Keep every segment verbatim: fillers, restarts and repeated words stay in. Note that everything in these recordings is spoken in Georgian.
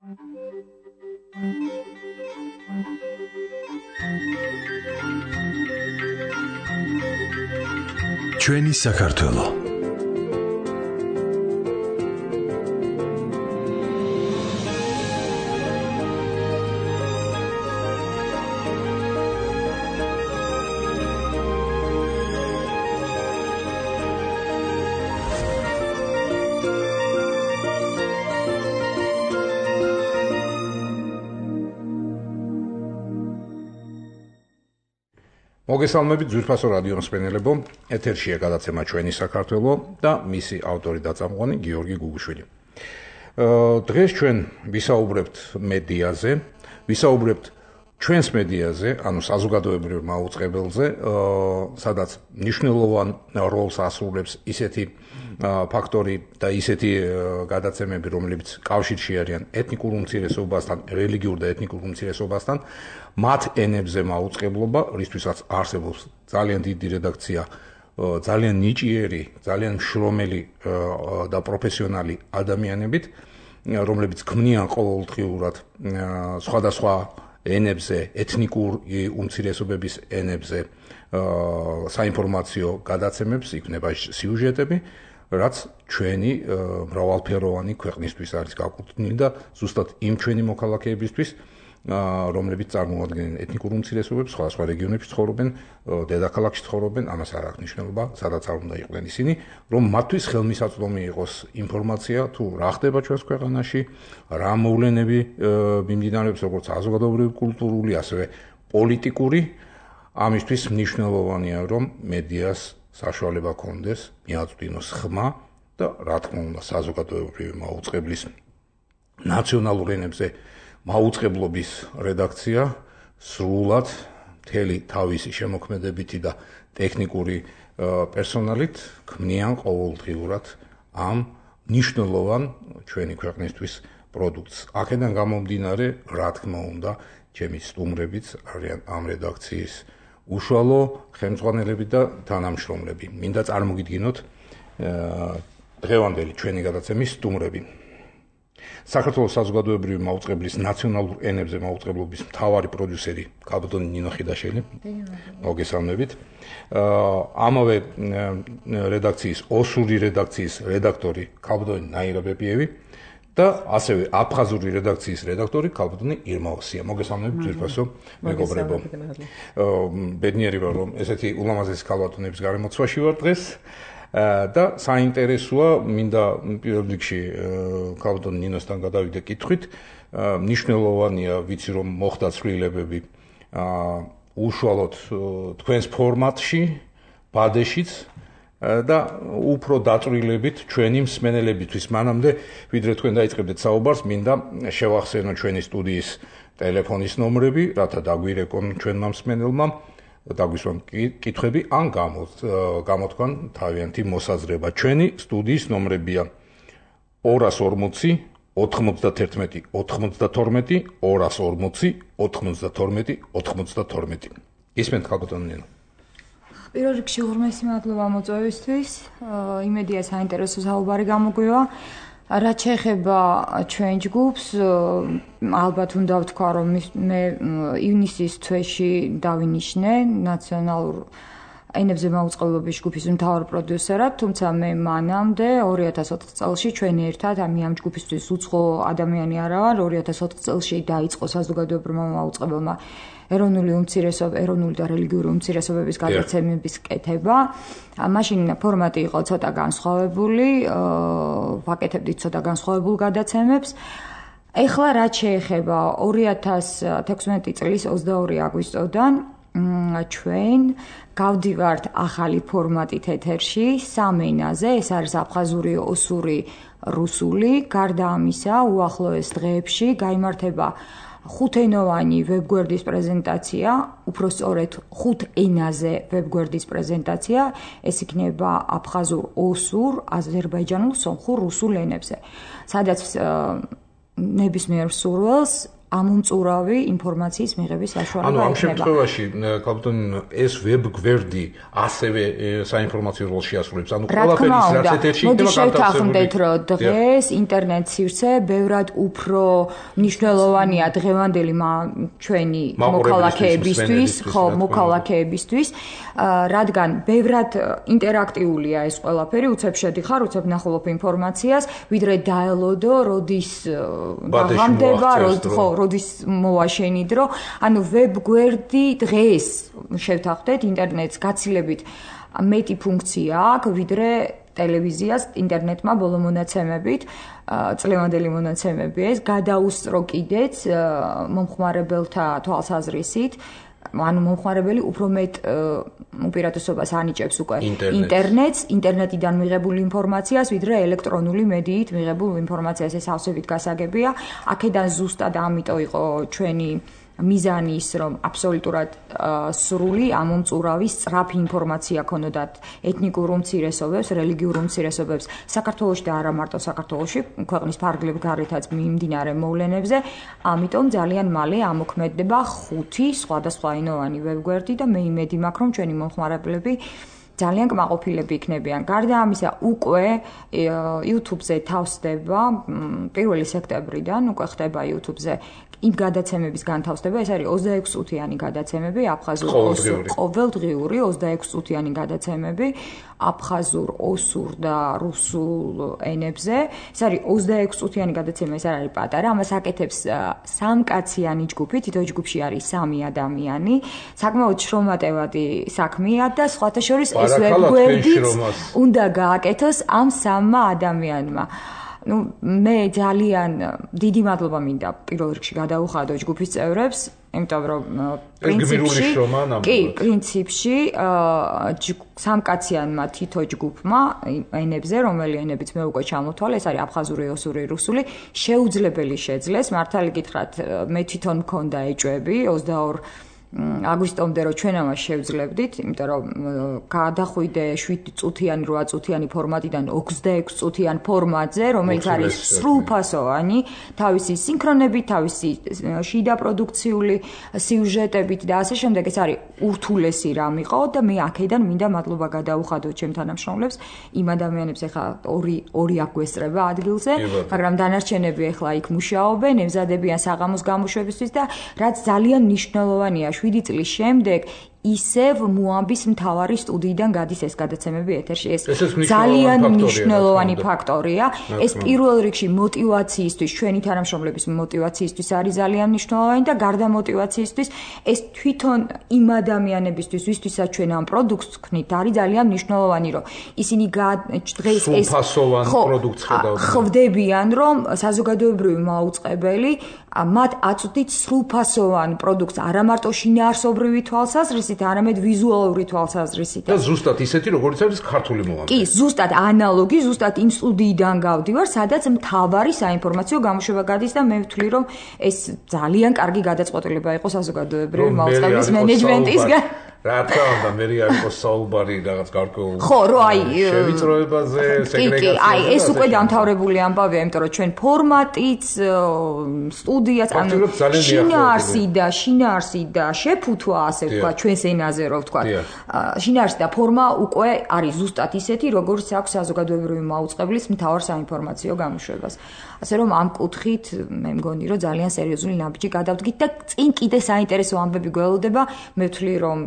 ჩვენი საქართველო. მოგესალმებით ძვირფასო რადიო მსმენელებო, ეთერშია გადაცემა ჩვენი საქართველო და მისი ავტორი და წამყვანი გიორგი გუგუშვილი. დღეს ჩვენ ვისაუბრებთ მედიაზე, ვისაუბრებთ ჩვენს მედიაზე, ანუ საზოგადოებრივ მაუწყებელზე, სადაც მნიშვნელოვან როლს ასრულებს ისეთი ფაქტორი და ისეთი გადაცემები, რომლებიც კავშირში არიან ეთნიკურ უმცირესობასთან, რელიგიურ და ეთნიკურ უმცირესობასთან, მათ ენებზე მაუწყებლობა, რისთვისაც არსებობს ძალიან დიდი რედაქცია, ძალიან ნიჭიერი, ძალიან მშრომელი და პროფესიონალი ადამიანებით, რომლებიც ქმნიან ყოველდღიურად სხვადასხვა ენებზე, ეთნიკურ უმცირესობების ენებზე საინფორმაციო გადაცემებს, იქნება სიუჟეტები, რაც ჩვენი მრავალფეროვანი ქვეყნისთვის არის გაკუთვნილი და ზუსტად იმ ჩვენი მოქალაქეებისთვის, რომლებიც წარმოადგენენ ეთნიკურ უმცირესობებს, სხვადასხვა რეგიონებში ცხოვრობენ, დედაქალაქში ცხოვრობენ, ამას არ აქვს მნიშვნელობა, სადაც არ უნდა იყვნენ ისინი, რომ მათთვის ხელმისაწვდომი იყოს ინფორმაცია, თუ რა ხდება ჩვენს ქვეყანაში, რა მოვლენები მიმდინარეობს, როგორც საზოგადოებრივი, კულტურული, ასევე პოლიტიკური, ამისთვის მნიშვნელოვანია, რომ მედიას საშუალება ჰქონდეს, მიაწვდინოს ხმა და რა თქმა უნდა, საზოგადოებრივი მაუწყებლის ნაციონალურ ენებზე მაუწყებლობის რედაქცია სრულად მთელი თავისი შემოქმედებითი და ტექნიკური პერსონალით ქმნიან ყოველდღიურად ამ მნიშვნელოვან ჩვენი ქვეყნისთვის პროდუქტს. აქედან გამომდინარე, რა თქმა უნდა, ჩემი სტუმრებიც არიან ამ რედაქციის უშუალო ხელმძღვანელები და თანამშრომლები. მინდა წარმოგიდგინოთ დღევანდელი ჩვენი გადაცემის სტუმრები. საქართველოს საზოგადოებრივი მაუწყებლის ნაციონალურ ენებზე მაუწყებლობის მთავარი პროდიუსერი ქალბატონი ნინო ხიდაშელი. მოგესალმებით. ამავე რედაქციის, ოსური რედაქციის რედაქტორი ქალბატონი ნაირა ბეპიევი და ასევე აფხაზური რედაქციის რედაქტორი ქალბატონი ირმა ოსია. მოგესალმებით ძვირფასო მეგობრებო. ბედნიერი ვარ, რომ ესეთი ულამაზესი ქალბატონების გარემოცვაში ვარ დღეს. და საინტერესოა, მინდა პირველ რიგში ქალბატონ ნინოსთან გადავიდე კითხვით. მნიშვნელოვანია, ვიცი რომ მოხდა ცვლილებები უშუალოდ თქვენს ფორმატში, ბადეშიც და უფრო დაწვრილებით ჩვენი მსმენელებისთვის. მანამდე, ვიდრე თქვენ დაიწყებდეთ საუბარს, მინდა შევახსენო ჩვენი სტუდიის ტელეფონის ნომრები, რათა დაგვირეკონ ჩვენმა მსმენელმა. დაგვისვან კითხვები ან გამოთქვან თავიანთი მოსაზრება. ჩვენი სტუდიის ნომრებია ორას ორმოცი ოთხმოცდათერთმეტი ოთხმოცდათორმეტი ორას ორმოცი ოთხმოცდათორმეტი ოთხმოცდათორმეტი. ისმენთ ქალბატონ ნინო. პირველ რიგში უღრმესი მადლობა მოწვევისთვის. იმედია საინტერესო საუბარი გამოგვივა. რაც შეეხება ჩვენ ჯგუფს, ალბათ უნდა ვთქვა, რომ მე ივნისის თვეში დავინიშნე ნაციონალურ ენებზე მაუწყებლობის ჯგუფის მთავარ პროდიუსერად, თუმცა მე მანამდე ორი ათას ოთხ წელში ჩვენ ერთად, ამი ამ ჯგუფისთვის უცხო ადამიანი არა ვარ, ორი ათას ოთხ წელში დაიწყო საზოგადოებრივმა მაუწყებელმა ეროვნული უმცირესობა, ეროვნული და რელიგიური უმცირესობების გადაცემების კეთება. მაშინ ფორმატი იყო ცოტა განსხვავებული, ვაკეთებდით ცოტა განსხვავებულ გადაცემებს. ეხლა რაც შეეხება ორი ათას თექვსმეტი წლის ოცდაორი აგვისტოდან ჩვენ გავდივართ ახალი ფორმატით ეთერში სამ ენაზე, ეს არის აფხაზური, ოსური, რუსული. გარდა ამისა, უახლოეს დღეებში გაიმართება ხუთენოვანი ვებგვერდის პრეზენტაცია, უფრო სწორედ ხუთ ენაზე ვებგვერდის პრეზენტაცია, ეს იქნება აფხაზურ, ოსურ, აზერბაიჯანულ, სომხურ, რუსულ ენებზე. სადაც ნებისმიერ მსურველს ამომწურავი ინფორმაციის მიღების საშუალება ექნება. ანუ ამ შემთხვევაში კაპიტან ეს ვებ გვერდი ასევე საინფორმაციო როლს შეასრულებს. ანუ ყველაფერი ის რაც ეთერში იქნება გადასახადეთ, რომ დღეს ინტერნეტ სივრცე ბევრად უფრო მნიშვნელოვანია დღევანდელი ჩვენი მოქალაქეებისთვის, ხო, მოქალაქეებისთვის, რადგან ბევრად ინტერაქტიულია ეს ყველაფერი, უცებ შედიხარ, უცებ ნახულობ ინფორმაციას, ვიდრე დაელოდო, როდის დაღამდება, ხო, როდის მოვაშენი დრო, ანუ ვებ გვერდი დღეს შევთანხმდეთ ინტერნეტს გაცილებით მეტი ფუნქცია აქვს, ვიდრე ტელევიზიას ინტერნეტმა ბოლო მონაცემებით, წლევანდელი მონაცემები ეს გადაუსწრო კიდეც მომხმარებელთა თვალსაზრისით, ანუ მომხმარებელი უფრო მეტ უპირატესობას ანიჭებს უკვე ინტერნეტს, ინტერნეტიდან მიღებული ინფორმაციას, ვიდრე ელექტრონული მედიით მიღებულ ინფორმაციას. ეს ავსებით გასაგებია. აქედან ზუსტად ამიტომ იყო ჩვენი მიზანი ის, რომ აბსოლუტურად სრული ამომწურავი სწრაფი ინფორმაცია ქონოდათ ეთნიკურ უმცირესობებს, რელიგიურ უმცირესობებს საქართველოში და არა მარტო საქართველოში, ქვეყნის ფარგლებ გარეთაც მიმდინარე მოვლენებზე. ამიტომ ძალიან მალე ამოქმედდება ხუთი სხვადასხვაენოვანი ვებგვერდი და მე იმედი მაქვს, რომ ჩვენი მომხმარებლები ძალიან კმაყოფილები იქნებიან. გარდა ამისა, უკვე YouTube-ზე თავსდება პირველი სექტემბრიდან უკვე ხდება YouTube-ზე იმ გადაცემების განთავსდება, ეს არის ოცდაექვსი წუთიანი გადაცემები, აფხაზურ, ყოველდღიური ოცდაექვსი წუთიანი გადაცემები, აფხაზურ, ოსურ და რუსულ ენებზე. ეს არის ოცდაექვსი წუთიანი გადაცემა, ეს არ არის პატარა, ამას აკეთებს სამკაციანი ჯგუფი, თითო ჯგუფში არის სამი ადამიანი. საკმაოდ შრომატევადი საქმეა და სხვათა შორის ეს ვებგვერდიც უნდა გააკეთოს ამ სამმა ადამიანმა. ну მე ძალიან დიდი მადლობა მინდა პირველ რიგში გადაუხადო ჯგუფის წევრებს, იმიტომ რომ პრინციპში კი, პრინციპში სამკაციანმა თითო ჯგუფმა ენებზე, რომელი ენებიც მე უკვე ჩამოთვალე, ეს არის აფხაზური, ოსური, რუსული, შეუძლებელი შეძლეს. მართალი გითხრათ, მე თვითონ მქონდა ეჭვები ოცდაორი აგვისტომდე რომ ჩვენ ამას შევძლებდით, იმიტომ რომ გადახვიდე შვიდი წუთიანი, რვა წუთიანი ფორმატიდან ოცდაექვსი წუთიან ფორმატზე, რომელიც არის სრულფასოვანი, თავისი სინქრონებით, თავისი შიდა პროდუქციული სიუჟეტებით და ასე შემდეგ. ეს არის ურთულესი რამ იყო და მე აქედან მინდა მადლობა გადაუხადო ჩემ თანამშრომლებს, იმ ადამიანებს, ეხლა ორი ორი აგვესწრება ადგილზე, მაგრამ დანარჩენები ეხლა იქ მუშაობენ, ემზადებიან საღამოს გამოშვებისთვის და რაც ძალიან მნიშვნელოვანია შვიდი წლის შემდეგ ისევ მოამბის მთავარი სტუდიიდან გადის ეს გადაცემები ეთერში. ეს ძალიან მნიშვნელოვანი ფაქტორია. ეს პირველ რიგში მოტივაციისთვის, ჩვენი თანამშრომლების მოტივაციისთვის არის ძალიან მნიშვნელოვანი და გარდა მოტივაციისთვის, ეს თვითონ იმ ადამიანებისთვის, ვისთვისაც ჩვენ ამ პროდუქტს ვქნით, არის ძალიან მნიშვნელოვანი, რომ ისინი დღეს ეს პროდუქტს ხვდებიან, რომ საზოგადოებრივი მაუწყებელი მათ აწვდით სრულფასოვან პროდუქტს, არა მარტო შინაარსობრივი თვალსაზრისით, არამედ ვიზუალური თვალსაზრისით. და ზუსტად ისეთი, როგორც არის ქართული მოამბე. კი, ზუსტად ანალოგი, ზუსტად იმ სტუდიიდან გავდივარ, სადაც მთავარი საინფორმაციო გამოშვება გადის და მე ვთვლი, რომ ეს ძალიან კარგი გადაწყვეტილება იყო საზოგადოებრივი მაუწყებლის მენეჯმენტისგან. რა თქმა უნდა, მე არის საუბარი რაღაც გარკვეულ ხო, რო აი შევიწროებაზე, სეგრეგაციაზე. კი, აი ეს უკვე დამთავრებული ამბავია, იმიტომ რომ ჩვენ ფორმატიც, სტუდიაც, ანუ შინაარსი და შინაარსი და შეფუთვა, ასე ვთქვა, ჩვენს ენაზე რო ვთქვა. შინაარსი და ფორმა უკვე არის ზუსტად ისეთი, როგორც აქვს საზოგადოებრივი მაუწყებლის მთავარ საინფორმაციო გამოშვებას. ასე რომ ამ კუთხით მე მგონი, რომ ძალიან სერიოზული ნაბიჯი გადავდგით და წინ კიდე საინტერესო ამბები გველოდება, მე ვთვლი, რომ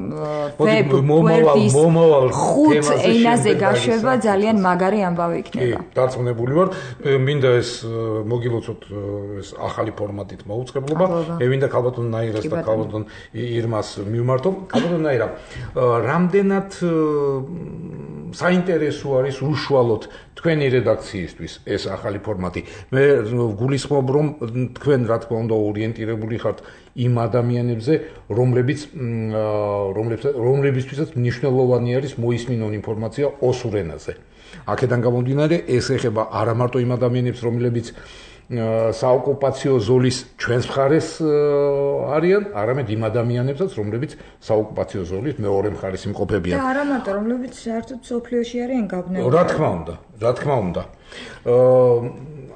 ვებ გვერდის ხუთ ენაზე გაშვება ძალიან მაგარი ამბავი იქნება. კი, დარწმუნებული ვარ. მინდა ეს მოგილოცოთ ეს ახალი ფორმატით მოუწყებლობა. მე მინდა ქალბატონ ნაირას და ქალბატონ ირმას მივმართო. ქალბატონ ნაირა, რამდენად საინტერესო არის უშუალოდ თქვენი რედაქციისთვის ეს ახალი ფორმატი. მე გულისხმობ, რომ თქვენ რა თქმა უნდა ორიენტირებული ხართ იმ ადამიანებზე, რომლებიც რომლებისთვისაც მნიშვნელოვანი არის მოისმინონ ინფორმაცია ოსურ ენაზე. აქედან გამომდინარე, ეს ეხება არა მარტო იმ ადამიანებს, რომლებიც საოკუპაციო ზოლის ჩვენს მხარეს არიან, არამედ იმ ადამიანებსაც, რომლებიც საოკუპაციო ზოლის მეორე მხარეს იმყოფებიან. და არა მარტო, რომლებიც საერთოდ სოფლიოში არიან გაბნეული. რა თქმა უნდა, რა თქმა უნდა.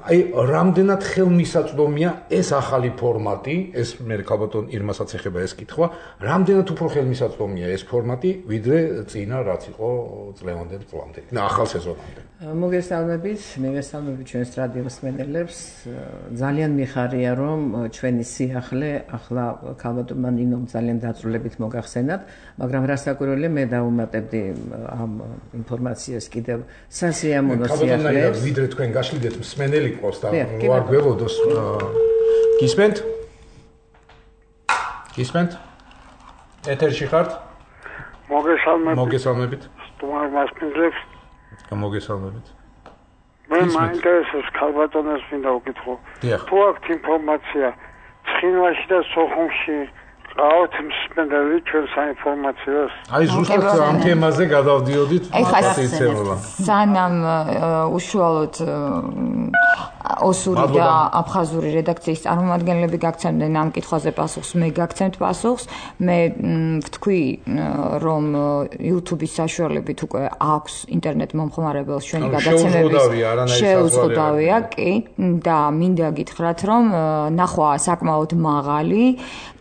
აი რამდენად ხელმისაწვდომია ეს ახალი ფორმატი, ეს მე ქალბატონ ირმასაც ეხება ეს კითხვა, რამდენად უფრო ხელმისაწვდომია ეს ფორმატი, ვიდრე წინა რაც იყო წლევანდელ წლამდე, ახალ სეზონამდე. მოგესალმებით, მოგესალმებით ჩვენს რადიო მსმენელებს. ძალიან მიხარია, რომ ჩვენი სიახლე ახლა ქალბატონმა ნინომ ძალიან დაწვრილებით მოგახსენათ, მაგრამ რასაკვირველია, მე დავუმატებდი ამ ინფორმაციას კიდევ სასიამოვნო სიახლეს. ვიდრე თქვენ გაშლიდეთ მსმენელი ყავს და ვარ გველოდოს გისმენთ? გისმენთ? ეთერში ხართ? მოგესალმებით. მოგესალმებით. სტუმარ მასპინძლებს. მოგესალმებით. მე მაინტერესებს ქალბატონს მინდა ვკითხო. თუ აქვს ინფორმაცია ცხინვალში და სოხუმში ყავთ მსმენელი ჩვენ საინფორმაციოს? აი ზუსტად ამ თემაზე გადავდიოდით ფაქტიციებლა. სანამ უშუალოდ ოსური და აფხაზური რედაქციის წარმომადგენლები გაგცემდნენ ამ კითხვაზე პასუხს, მე გაგცემთ პასუხს. მე ვთქვი, რომ YouTube-ის საშუალებით უკვე აქვს ინტერნეტ მომხმარებელს ჩვენი გადაცემების შეუზღუდავია, კი, და მინდა გითხრათ, რომ ნახვა საკმაოდ მაღალი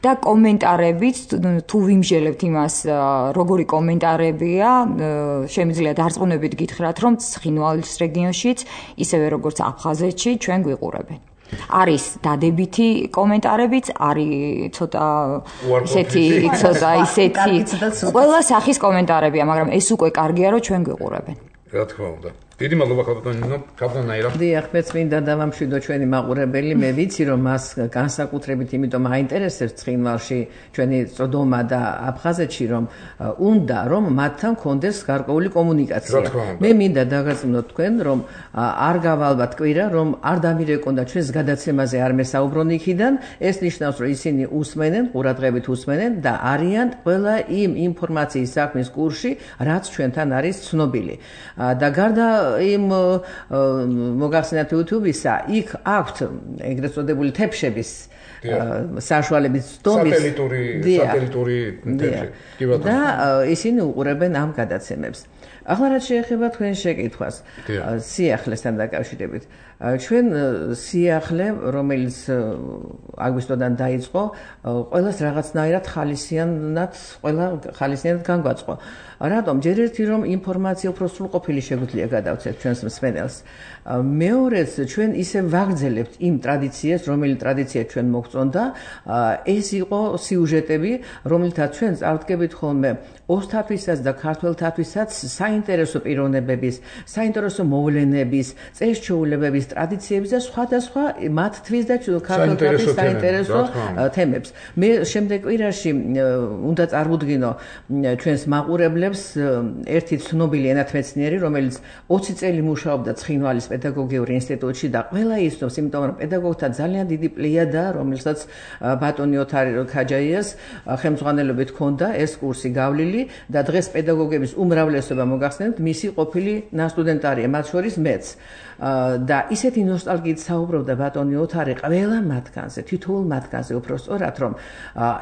და კომენტარებიც თუ ვიმჟელებთ იმას, როგორი კომენტარებია, შემიძლია დარწმუნებით გითხრათ, რომ ცხინვალის რეგიონშიც, ისევე როგორც აფხაზეთში ჩვენ გვიყურებენ. არის დადებითი კომენტარებიც, არის ცოტა ისეთი, ცოტა ისეთი ყველა სახის კომენტარებია, მაგრამ ეს უკვე კარგია, რომ ჩვენ გვიყურებენ. რა თქმა უნდა. დიდი მადლობა ქალბატონო, ქალბატონაირა. დიახ, მეც მინდა დავამშვიდო ჩვენი მაყურებელი, მე ვიცი რომ მას განსაკუთრებით იმიტომ აინტერესებს ცხინვალში ჩვენი წოდომა და აფხაზეთში რომ უნდა რომ მათთან კონდეს გარკვეული კომუნიკაცია. მე მინდა დაგაზრდნოთ თქვენ რომ არ გავალბათ კვირა რომ არ დამირეკონდა ჩვენს გადაცემაზე არ მესაუბრონ იქიდან, ეს ნიშნავს რომ ისინი უსმენენ, ყურადღებით უსმენენ და არიან ყველა იმ ინფორმაციის საქმის კურსში, რაც ჩვენთან არის ცნობილი. და გარდა იმ მოგახსენათ YouTube-ისა, იქ აქვთ ეგრეთ წოდებული თეფშების საშუალებით დომის სატელიტური სატელიტური თეფში. და ისინი უყურებენ ამ გადაცემებს. ახლა რაც შეეხება თქვენ შეკითხვას, სიახლესთან დაკავშირებით. ჩვენ სიახლე, რომელიც აგვისტოდან დაიწყო, ყველას რაღაცნაირად ხალისიანად, ყველა ხალისიანად განგვაწყო. რატომ? ჯერ ერთი რომ ინფორმაცია უფრო სრულყოფილი შეგვიძლია გადავცეთ ჩვენს მსმენელს. მეორეც ჩვენ ისე ვაგრძელებთ იმ ტრადიციას, რომელიც ტრადიცია ჩვენ მოგწონდა, ეს იყო სიუჟეტები, რომელთაც ჩვენ წავდგებით ხოლმე ოსთათვისაც და ქართველთათვისაც საინტერესო პიროვნებების, საინტერესო მოვლენების, წესჩვეულებების, ტრადიციების და სხვადასხვა მათთვის და ქართველთათვის საინტერესო თემებს. მე შემდეგ კვირაში უნდა წარმოვდგინო ჩვენს მაყურებლებს ერთი ცნობილი ენათმეცნიერი, რომელიც ოცი წელი მუშაობდა ცხინვალის პედაგოგიურ ინსტიტუტში და ყველა იცნობს, იმიტომ რომ პედაგოგთა ძალიან დიდი პლიადა, რომელსაც ბატონი ოთარ ქაჯაიას ხელმძღვანელობით ჰქონდა ეს კურსი გავლილი და დღეს პედაგოგების უმრავლესობა მოგახსენებთ, მისი ყოფილი ნასტუდენტარია, მათ შორის მეც. და ისეთი ნოსტალგიით საუბრობდა ბატონი ოთარი ყველა მათგანზე, თითოეულ მათგანზე უფრო სწორად, რომ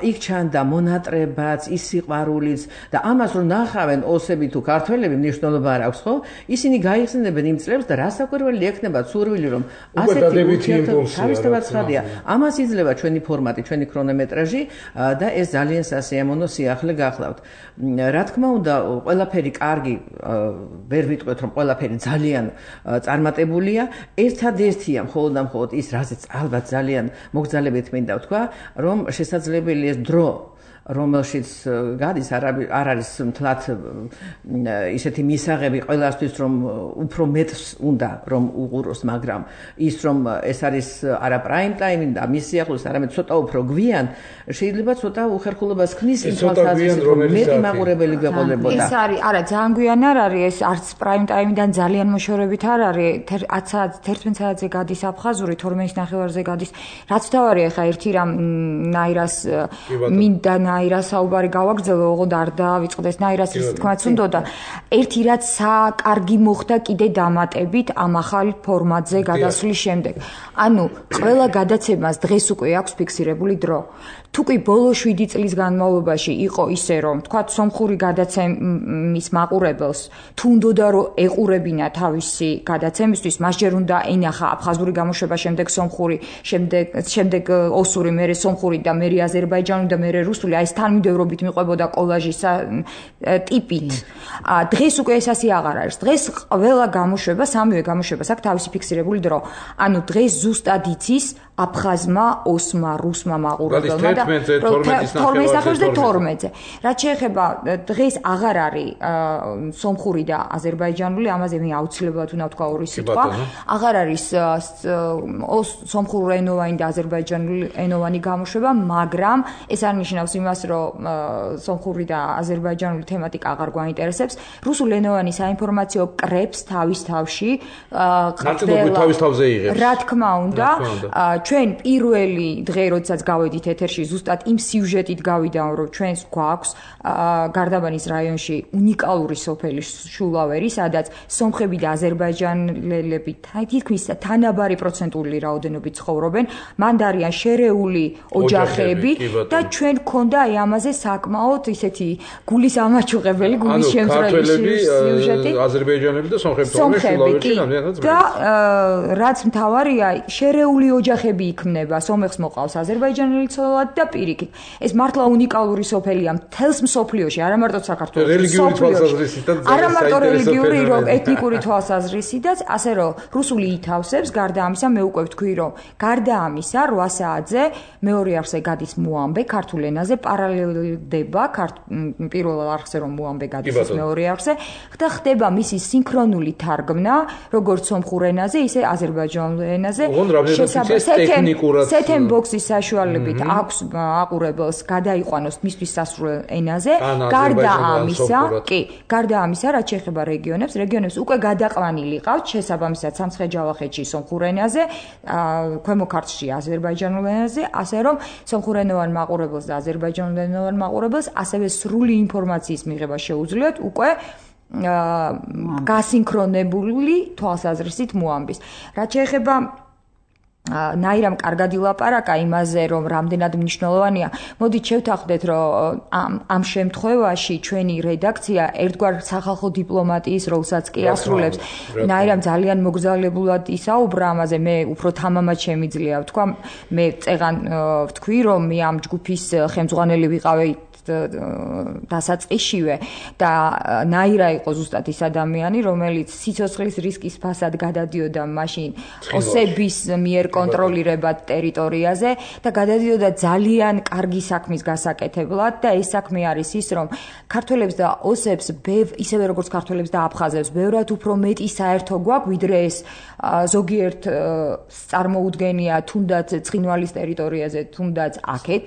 იქ ჩანდა მონატრებაც, ის სიყვარულიც და ამას რომ ნახავენ ოსები თუ ქართველები, მნიშვნელობა არ აქვს, ხო? ისინი გაიხსენებენ იმ წლებს და რასაკვირველი ექნება სურვილი, რომ ასეთი თავისთავად ცხადია. ამას იძლევა ჩვენი ფორმატი, ჩვენი ქრონომეტრაჟი და ეს ძალიან სასიამოვნო სიახლე გახლავთ. რა თქმა უნდა, ყველაფერი კარგი, ვერ ვიტყვეთ, რომ ყველაფერი ძალიან წარმატებულია. ერთადერთია მხოლოდ და მხოლოდ ის, რაზეც ალბათ ძალიან მოგზალებით მინდა ვთქვა, რომ შესაძლებელი ეს დრო რომელშიც გადის არ არის მთლად ისეთი მისაღები ყველასთვის რომ უფრო მეტს უნდა რომ უყუროს, მაგრამ ის რომ ეს არის არა პრაიმ ტაიმი და მის სიახლოვეს არამედ ცოტა უფრო გვიან, შეიძლება ცოტა უხერხულობას ქმნის იმ თვალსაზრისით რომ მეტი მაყურებელი გვეყოლებოდა. ეს არის არა ძალიან გვიან არ არის, ეს არც პრაიმ ტაიმიდან ძალიან მოშორებით არ არის, თერთმეტ საათზე გადის აფხაზური, თორმეტ ნახევარზე გადის. რაც თავარია ხა ერთი რამ ნაირას მინდა ნაირას საუბარი გავაგრძელო, ოღონდ არ დავიწყდეს ნაირას ის თქმაც უნდოდა. ერთი რაც საკარგი მოხდა კიდე დამატებით ამ ახალ ფორმატზე გადასვლის შემდეგ. ანუ ყველა გადაცემას დღეს უკვე აქვს ფიქსირებული დრო. თუ კი ბოლო შვიდი წლის განმავლობაში იყო ისე, რომ თქვათ სომხური გადაცემის მაყურებელს თუ უნდოდა რომ ეყურებინა თავისი გადაცემისთვის, მას ჯერ უნდა ენახა აფხაზური გამოშვება, შემდეგ სომხური, შემდეგ შემდეგ ოსური, მერე სომხური და მერე აზერბაიჯანული და მერე რუსული, აი ეს თანმიმდევრობით მიყვებოდა კოლაჟის ტიპით. დღეს უკვე ეს ასე აღარ არის. დღეს ყველა გამოშვება, სამივე გამოშვებას აქვს თავისი ფიქსირებული დრო. ანუ დღეს ზუსტად იცის აფხაზმა, ოსმა, რუსმა მაყურებელმა და თორმეტზე თორმეტზე. რაც შეეხება დღეს აღარ არის სომხური და აზერბაიჯანული, ამაზე მე აუცილებლად უნდა ვთქვა ორი სიტყვა. აღარ არის სომხურენოვანი და აზერბაიჯანულენოვანი გამოშვება, მაგრამ ეს არ ნიშნავს იმას, რომ სომხური და აზერბაიჯანული თემატიკა აღარ გვაინტერესებს. რუსულენოვანი საინფორმაციო კრებს თავის თავში ხდება. რა თქმა უნდა, ჩვენ პირველი დღე, როდესაც გავედით ეთერში, ზუსტად იმ სიუჟეტით გავიდა, რომ ჩვენს გვაქვს გარდაბანის რაიონში უნიკალური სოფელი შულავერი, სადაც სომხები და აზერბაიჯანელები თითქმის თანაბარი პროცენტული რაოდენობით ცხოვრობენ, მანდ არიან შერეული ოჯახები და ჩვენ გქონდა აი ამაზე საკმაოდ ისეთი გულის ამაჩუყებელი, გულის შემწრებელი სიუჟეტი. აზერბაიჯანელები და სომხები თორმეტ შულავერში და რაც მთავარია, შერეული ოჯახები იქმნება, სომეხს მოყავს აზერბაიჯანელი ცოლად და პირიქით. ეს მართლა უნიკალური სოფელია მთელს მსოფლიოში, არა მარტო საქართველოში. რელიგიური თვალსაზრისითაც არა მარტო რელიგიური, რომ ეთნიკური თვალსაზრისითაც, ასე რომ რუსული ითავსებს, გარდა ამისა მე უკვე ვთქვი, რომ გარდა ამისა რვა საათზე მეორე არხზე გადის მოამბე ქართულ ენაზე, პარალელდება პირველ არხზე რომ მოამბე გადის მეორე არხზე და ხდება მისი სინქრონული თარგმნა, როგორც სომხურ ენაზე, ისე აზერბაიჯანულ ენაზე. სეთენ ბოქსის საშუალებით აქვს აყურებელს გადაიყვანოს მისთვის სასურველ ენაზე. გარდა ამისა, კი, გარდა ამისა, რაც შეეხება რეგიონებს, რეგიონებს უკვე გადაყვანილი ყავთ შესაბამისად სამცხე-ჯავახეთში სომხურ ენაზე, ქვემო ქართლში აზერბაიჯანულ ენაზე, ასე რომ სომხურენოვან მაყურებელს და აზერბაიჯანულენოვან მაყურებელს ასევე სრული ინფორმაციის მიღება შეუძლიათ უკვე გასინქრონებული თვალსაზრისით მოამბის. რაც შეეხება ნაირამ კარგად ილაპარაკა იმაზე, რომ რამდენად მნიშვნელოვანია. მოდით შევთანხმდეთ, რომ ამ შემთხვევაში ჩვენი რედაქცია ერთგვარ სახალხო დიპლომატიის როლსაც კი ასრულებს. ნაირამ ძალიან მოგზაურებულად ისაუბრა ამაზე, მე უფრო თამამად შემიძლია ვთქვა, მე წეღან ვთქვი, რომ მე ამ ჯგუფის ხელმძღვანელი ვიყავი დასაწყისშივე და ნაირა იყო ზუსტად ის ადამიანი, რომელიც სიცოცხლის რისკის ფასად გადადიოდა მაშინ ოსების მიერ კონტროლირებად ტერიტორიაზე და გადადიოდა ძალიან კარგი საქმის გასაკეთებლად და ეს საქმე არის ის, რომ ქართველებს და ოსებს ისევე როგორც ქართველებს და აფხაზებს ბევრად უფრო მეტი საერთო გვაქვს, ვიდრე ეს ზოგიერთ წარმოუდგენია თუნდაც ცხინვალის ტერიტორიაზე, თუნდაც აქეთ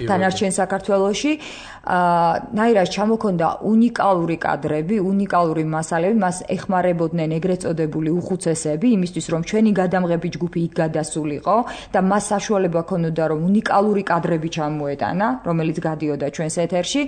დანარჩენ საქართველოში. ნაირას ჩამოქონდა უნიკალური კადრები, უნიკალური მასალები, მას ეხმარებოდნენ ეგრეთ წოდებული უხუცესები, იმისთვის რომ ჩვენი გადამღები ჯგუფი იქ გადასულიყო და მას საშუალება ჰქონოდა რომ უნიკალური კადრები ჩამოეტანა, რომელიც გადიოდა ჩვენს ეთერში.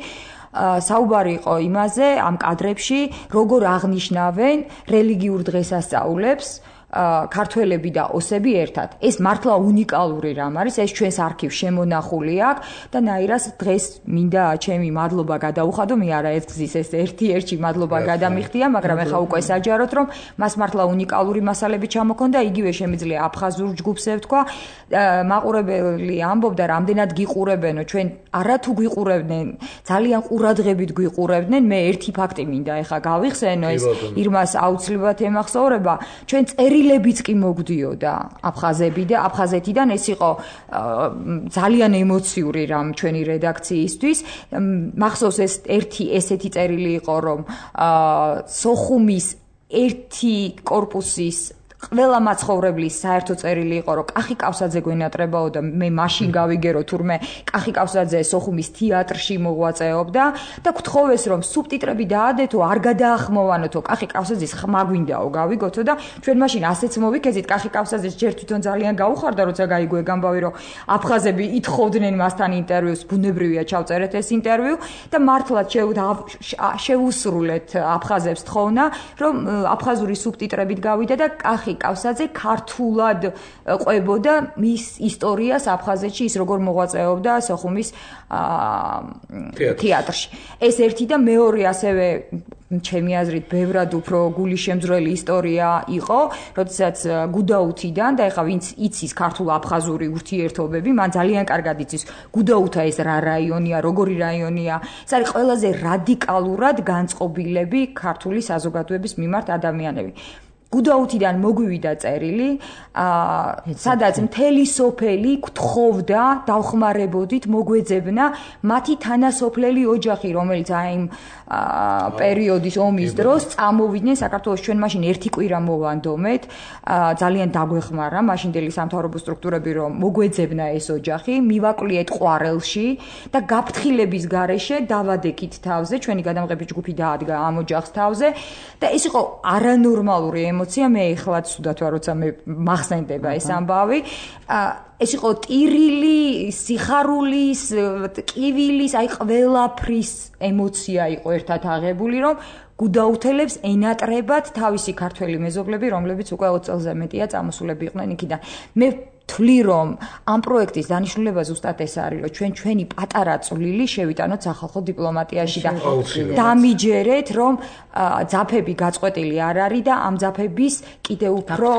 საუბარი იყო იმაზე, ამ კადრებში როგორ აღნიშნავენ რელიგიურ დღესასწაულებს ქართველები და ოსები ერთად. ეს მართლა უნიკალური რამ არის, ეს ჩვენს არქივში შემონახული აქვს და ნაირას დღეს მინდა ჩემი მადლობა გადაუხადო, მე არაერთგზის ეს ერთი-ერთი მადლობა გადამიხდია, მაგრამ ეხა უკვე საჯაროდ რომ მას მართლა უნიკალური მასალები ჩამოქონდა, იგივე შემიძლია აფხაზურ ჯგუფს ევთქვა. მაყურებელი ამბობდა, რამდენად გიყურებენო, ჩვენ არათუ გვიყურებდნენ, ძალიან ყურადღებით გვიყურებდნენ. მე ერთი ფაქტი მინდა ეხა გავიხსენო, ეს ირმას აუცილებლად ემახსოვრება, ჩვენ წერილებიც კი მოგდიოდა აფხაზები და აფხაზეთიდან, ეს იყო ძალიან ემოციური რამ ჩვენი რედაქციისთვის. მახსოვს ეს ერთი ესეთი წერილი იყო, რომ სოხუმის ერთი კორპუსის ყველა მაცხოვრებლის საერთო წერილი იყო, რომ კახი კავსაძე გვენატრებაო და მე მაშინ გავიგერო თურმე კახი კავსაძე სოხუმის თეატრში მოღვაწეობდა და გთხოვეს რომ სუბტიტრები დაადეთო, არ გადაახმოვანოთო, კახი კავსაძის ხმა გვინდაო, გავიგოთო და ჩვენ მაშინ ასეც მოვიქეცით, კახი კავსაძეს ჯერ თვითონ ძალიან გაუხარდა, როცა გაიგო ეგ ამბავი, რომ აფხაზები ითხოვდნენ მასთან ინტერვიუს, ბუნებრივია ჩავწერეთ ეს ინტერვიუ და მართლაც შეუსრულეთ აფხაზებს თხოვნა, რომ აფხაზური სუბტიტრებით გავიდა და კახი კავსაძე ქართულად ყვებოდა მის ისტორიას აფხაზეთში, ის როგორ მოღვაწეობდა სოხუმის თეატრში. ეს ერთი და მეორე ასევე ჩემი აზრით ბევრად უფრო გულიშემძვრელი ისტორია იყო, როდესაც გუდაუთიდან და ეხლა ვინც იცის ქართულ-აფხაზური ურთიერთობები, მან ძალიან კარგად იცის გუდაუთა ეს რა რაიონია, როგორი რაიონია. ეს არის ყველაზე რადიკალურად განწყობილები ქართული საზოგადოების მიმართ ადამიანები. გუდაუთიდან მოგვივიდა წერილი, სადაც მთელი სოფელი გთხოვდა, დავხმარებოდით, მოგვეძებნა მათი თანასოფლელი ოჯახი, რომელიც აი იმ პერიოდის ომის დროს წამოვიდნენ საქართველოს. ჩვენ მაშინ ერთი კვირა მოვანდომეთ, ძალიან დაგვეხმარა მაშინდელი სამთავრობო სტრუქტურები, რომ მოგვეძებნა ეს ოჯახი, მივაკვლიეთ ყვარელში და გაფრთხილების გარეშე დავადექით თავზე, ჩვენი გადამღები ჯგუფი დაადგა ამ ოჯახს თავზე და ეს იყო არანორმალური ემოცია, მე ეხლაც სუდათ ვარ, როცა მე მახსენდება ეს ამბავი. ეს იყო ტირილი, სიხარულის, ტკივილის, აი ყველაფრის ემოცია იყო ერთად აღებული, რომ გუდაუთელებს ენატრებათ თავისი ქართველი მეზობლები, რომლებიც უკვე ოცი წელზე მეტია წამოსულები იყვნენ იქიდან. მე თვლი რომ ამ პროექტის დანიშნულება ზუსტად ეს არის, რომ ჩვენ ჩვენი პატარა წვლილი შევიტანოთ სახალხო დიპლომატიაში და დამიჯერეთ, რომ ძაფები გაწყვეტილი არ არის და ამ ძაფების კიდევ უფრო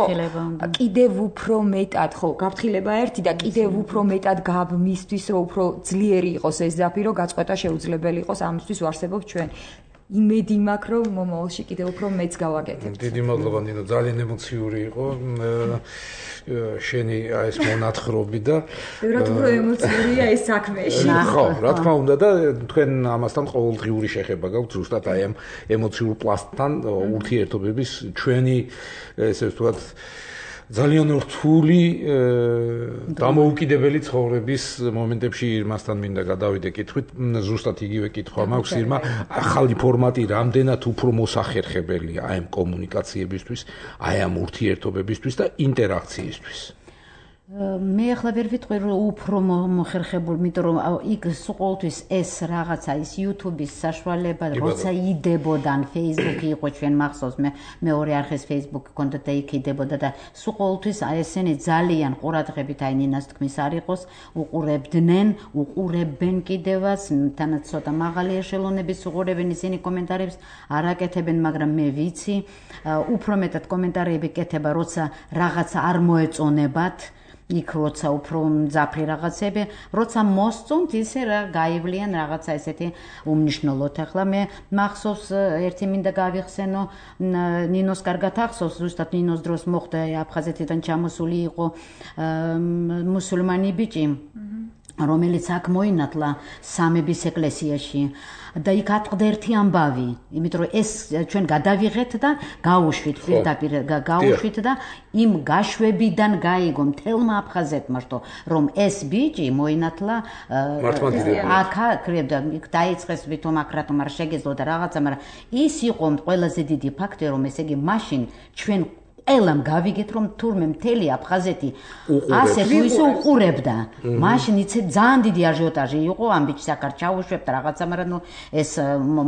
კიდევ უფრო მეტად, ხო, გაფრთხილება ერთი და კიდევ უფრო მეტად გამისთვის, რომ უფრო ძლიერი იყოს ეს ძაფი, რომ გაწყვეტა შეუძლებელი იყოს, ამისთვის ვარსებობ ჩვენ. იმედი მაქვს, რომ მომავალში კიდევ უფრო მეც გავაკეთებ. დიდი მადლობა ნინო, ძალიან ემოციური იყო შენი ეს მონათხრობი და ბევრად უფრო ემოციურია ეს საქმეში. ხო, რა თქმა უნდა და თქვენ ამასთან ყოველდღიური შეხება გაქვთ ზუსტად აი ამ ემოციურ პლასტთან ურთიერთობების ჩვენი ესე ვთქვათ ძალიან რთული დამოუკიდებელი ცხოვრების მომენტებში ირმასთან მინდა გადავიდე კითხვით, ზუსტად იგივე კითხვა მაქვს ირმა, ახალი ფორმატი რამდენად უფრო მოსახერხებელია აი ამ კომუნიკაციებისთვის, აი ამ ურთიერთობებისთვის და ინტერაქციისთვის. მე ახლა ვერ ვიტყვი რომ უფრო მოხერხებული, იმიტომ რომ იქ ყოველთვის ეს რაღაცა ის YouTube-ის საშუალება, როცა იდებოდან Facebook-ი იყო ჩვენ მახსოვს, მე მეორე არხის Facebook კონდა და იქ იდებოდა და სულ ყოველთვის ესენი ძალიან ყურადღებით აი ნინას თქმის არ იყოს, უყურებდნენ, უყურებენ კიდევაც, თანაც ცოტა მაღალი ეშელონების უყურებენ ისინი კომენტარებს არ აკეთებენ, მაგრამ მე ვიცი, უფრო მეტად კომენტარები კეთება, როცა რაღაცა არ მოეწონებათ. იქ როცა უფრო მძაფრი რაღაცები, როცა მოსწონთ ისე რა გაივლიან რაღაცა ესეთი უმნიშვნელოდ. ახლა მე მახსოვს ერთი მინდა გავიხსენო, ნინოს კარგად ახსოვს, ზუსტად ნინოს დროს მოხდა აფხაზეთიდან ჩამოსული იყო მუსულმანი ბიჭი, რომელიც აქ მოინათლა სამების ეკლესიაში. და იქ ატყდა ერთი ამბავი, იმიტომ რომ ეს ჩვენ გადავიღეთ და გავუშვით, პირდაპირ გავუშვით და იმ გაშვებიდან გაიგო მთელმა აფხაზეთმა, რომ ეს ბიჭი მოინათლა აქა, კრებდა, დაიწყეს ვითომ აქ რატომ არ შეგეძლო და რაღაცა, მაგრამ ის იყო ყველაზე დიდი ფაქტი, რომ ესე იგი მაშინ ჩვენ ელამ გავიგეთ რომ თურმე მთელი აფხაზეთი ასე თუ ისე უყურებდა. მაშინ იცი ძალიან დიდი აჟიოტაჟი იყო ამ ბიჭს აქ არ ჩაუშვებთ რაღაცა, მაგრამ ნუ ეს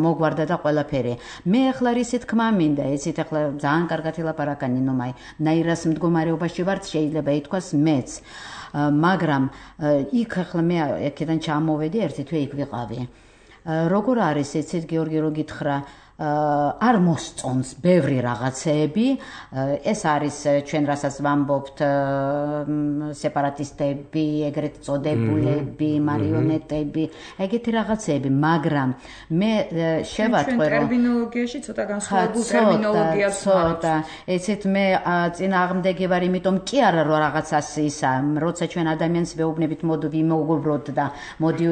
მოგვარდა და ყველაფერი. მე ახლა რისი თქმა მინდა, ესეთ ახლა ძალიან კარგად ელაპარაკა ნინო, მაი ნაირას მდგომარეობაში ვართ, შეიძლება ითქვას მეც. მაგრამ იქ ახლა მე აქედან ჩამოვედი, ერთი თვე იქ ვიყავი. როგორ არის ეცეთ გიორგი რო გითხრა, არ მოსწონს ბევრი რაღაცეები, ეს არის ჩვენ რასაც ვამბობთ სეპარატისტები, ეგრეთ წოდებულები, მარიონეტები, ეგეთი რაღაცეები, მაგრამ მე შევატყვე რომ ტერმინოლოგიაში ცოტა განსხვავებულ ტერმინოლოგიას ცოტა, ეცეთ მე წინააღმდეგი ვარ, იმიტომ კი არა რომ რაღაცას ისა, როცა ჩვენ ადამიანს ვეუბნებით მოდი ვიმოუბროთ და მოდი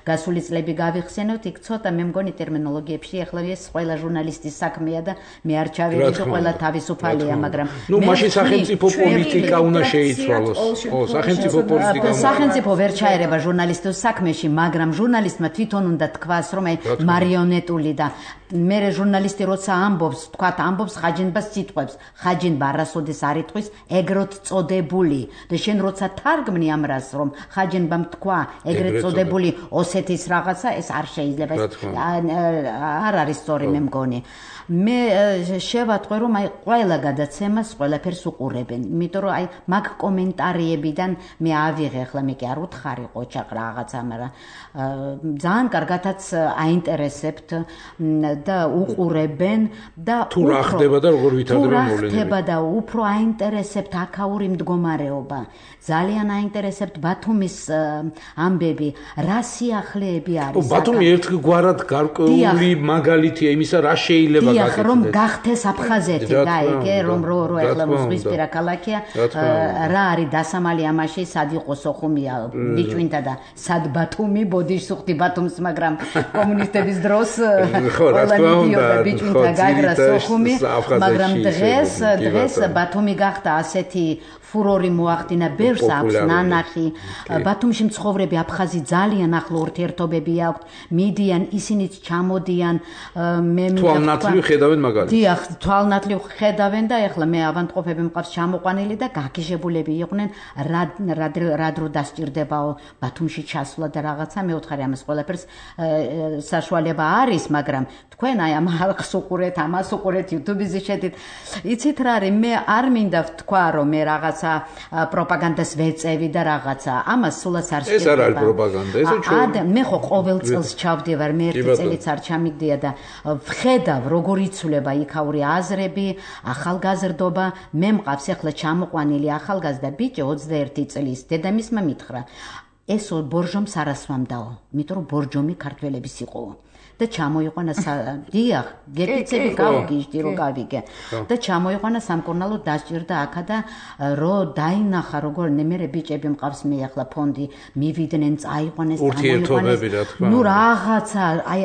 გასული წლები გავიხსენოთ, იქ ცოტა მე მგონი ტერმინოლოგიებში ახლა ეს ყველა ჟურნალისტის საქმეა და მე არ ჩავედი და ყველა თავისუფალია, მაგრამ ნუ მაშინ სახელმწიფო პოლიტიკა უნდა შეიცვალოს. ო, სახელმწიფო პოლიტიკა. სახელმწიფო ვერ ჩაერება ჟურნალისტის საქმეში, მაგრამ ჟურნალისტმა თვითონ უნდა თქვას, რომ აი მარიონეტული და მე ჟურნალისტი როცა ამბობს, თქვათ ამბობს ხაჯინბას სიტყვებს, ხაჯინბა არასოდეს არ იტყვის ეგრეთ წოდებული და შენ როცა თარგმნი ამ რას, რომ ხაჯინბამ თქვა ეგრეთ წოდებული ოსეთის რაღაცა, ეს არ შეიძლება, არ არის სწორი მე მგონი. მე შევატყვე რომ აი ყველა გადაცემას ყველაფერს უყურებენ, იმიტომ რომ აი მაგ კომენტარიებიდან მე ავიღე, ახლა მე კი არ უთხარი ყოჩაყ რაღაცა, მაგრამ ძალიან კარგადაც აინტერესებთ და უყურებენ და თუ რა ხდება და როგორ ვითარდება მოვლენები. თუ რა ხდება და უფრო აინტერესებთ აქაური მდგომარეობა. ძალიან აინტერესებთ ბათუმის ამბები, რა სიახლეები არის. ო, ბათუმი ერთგვარად გარკვეული მაგალითია იმისა, რა შეიძლება დიახ, რომ გახდეს აფხაზეთი, გაიგე, რომ რო რო ეხლა ზღვისპირა ქალაქია, რა არის დასამალი ამაში, სად იყო სოხუმია, ბიჭვინთა და სად ბათუმი, ბოდიშსუხტი ბათუმს, მაგრამ კომუნისტების დროს ყველა მიდიოდა ბიჭვინთა გაგრა სოხუმი, მაგრამ დღეს დღეს ბათუმი გახდა ასეთი ფურორი მოახდინა, ბევრს აქვს ნანახი. ბათუმში მცხოვრები აფხაზი ძალიან ახლო ურთიერთობები აქვთ, მიდიან, ისინიც ჩამოდიან, მე თვალნათლივ ხედავენ მაგალითად. დიახ, თვალნათლივ ხედავენ და ეხლა მე ავანტყოფები მყავს ჩამოყვანილი და გაგიჟებულები იყვნენ, რა დრო დასჭირდებაო ბათუმში ჩასვლა და რაღაცა, მე ვთხარი ამას ყველაფერს საშუალება არის, მაგრამ თქვენ აი ამ ხალხს უყურეთ, ამას უყურეთ, YouTube-ზე შედით. იცით რა არის, მე არ მინდა ვთქვა, რომ მე რაღაც პროპაგანდას ვეწევი და რაღაცა. ამას სულაც არ შეიძლება. ეს არ არის პროპაგანდა, ესე ჩვენ. მე ხო ყოველ წელს ჩავდივარ, მე ერთი წელიც არ ჩამიგდია და ვხედავ როგორ იცვლება იქაური აზრები, ახალგაზრდობა. მე მყავს ახლა ჩამოყვანილი ახალგაზრდა ბიჭი ოცდაერთი წლის, დედამისმა მითხრა, ეს ბორჟომს არ ასვამდაო, იმიტომ რომ ბორჯომი ქართველების იყო. და ჩამოიყვანა დიახ, გეკიცები გავგიჟდი რომ გავიგე. და ჩამოიყვანა სამკურნალო დასჭირდა აქა და რო დაინახა როგორ მე ბიჭები მყავს მე ახლა ფონდი მივიდნენ, წაიყვანეს, ურთიერთობები რა თქმა უნდა. ნუ რაღაცა აი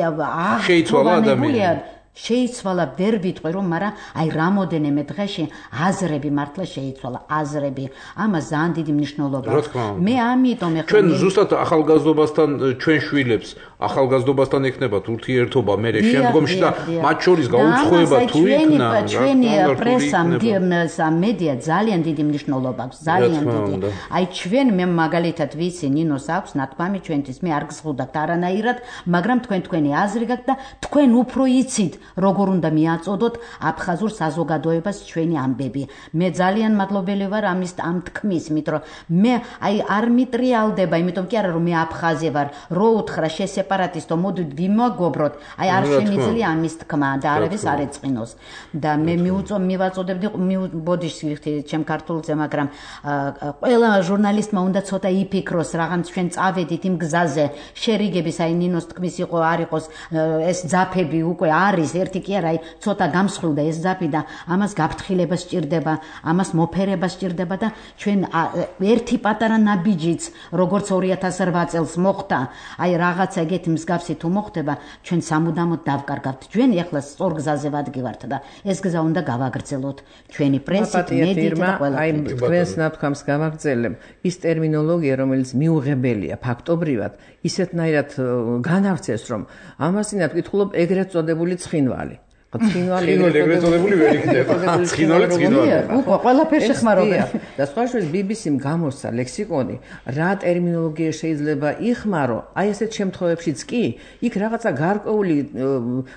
შეიცვალა ადამიანი. შეიცვალა ვერ ვიტყვი რომ, მაგრამ აი რამოდენიმე დღეში აზრები მართლა შეიცვალა, აზრები. ამას ძალიან დიდი მნიშვნელობა აქვს. მე ამიტომ ეხლა ჩვენ ზუსტად ახალგაზრდობასთან ჩვენ შვილებს ახალგაზრდობასთან ექნებათ ურთიერთობა, მე შემდგომში და მათ შორის გაუცხოება თუ იქნა, ჩვენი პრესა, მედია ძალიან დიდი მნიშვნელობა აქვს, ძალიან დიდი. აი ჩვენ მე მაგალითად ვიცი, ნინოს აქვს ნათქვამი ჩვენთვის, მე არ გზღუდავთ არანაირად, მაგრამ თქვენ თქვენი აზრი გაქვთ და თქვენ უფრო იცით როგორ უნდა მიაწოდოთ აფხაზურ საზოგადოებას ჩვენი ამბები. მე ძალიან მადლობელი ვარ ამის ამ თქმის, იმიტომ რომ მე აი არ მიტრიალდება, იმიტომ კი არა რომ მე აფხაზი ვარ, რო უთხრა შესეპარატისტო, მოდით ვიმაგობროთ, აი არ შემიძლია ამის თქმა და არავის არ ეწყინოს. და მე მიუწო მივაწოდებდი ბოდიშს ვიხდი ჩემ ქართულზე, მაგრამ ყველა ჟურნალისტმა უნდა ცოტა იფიქროს, რაღაც ჩვენ წავედით იმ გზაზე, შერიგების აი ნინოს თქმის იყო არ იყოს ეს ძაფები უკვე არის ერთი კი არა, აი ცოტა გამსხვილდა ეს ძაფი და ამას გაფრთხილება სჭირდება, ამას მოფერება სჭირდება და ჩვენ ერთი პატარა ნაბიჯიც, როგორც ორი ათას რვა წელს მოხდა, აი რაღაცა ეგეთი მსგავსი თუ მოხდება, ჩვენ სამუდამოდ დავკარგავთ. ჩვენ ეხლა სწორ გზაზე ვადგივართ და ეს გზა უნდა გავაგრძელოთ. ჩვენი პრესით, მედიით და ყველა. აი თქვენს ნათქვამს გავაგრძელებ. ის ტერმინოლოგია, რომელიც მიუღებელია ფაქტობრივად, ისეთნაირად განავრცეს, რომ ამას ინად ვკითხულობ ეგრეთ წოდებული ცხინვალი. ცხინვალი ეგრეთ წოდებული ვერ იქნება. ცხინვალი ცხინვალი. უკვე ყველაფერს შეხმარობენ. და სხვა შორის ბი ბი სიმ გამოსცა ლექსიკონი, რა ტერმინოლოგია შეიძლება იხმარო, აი ესეთ შემთხვევებშიც კი, იქ რაღაცა გარკვეული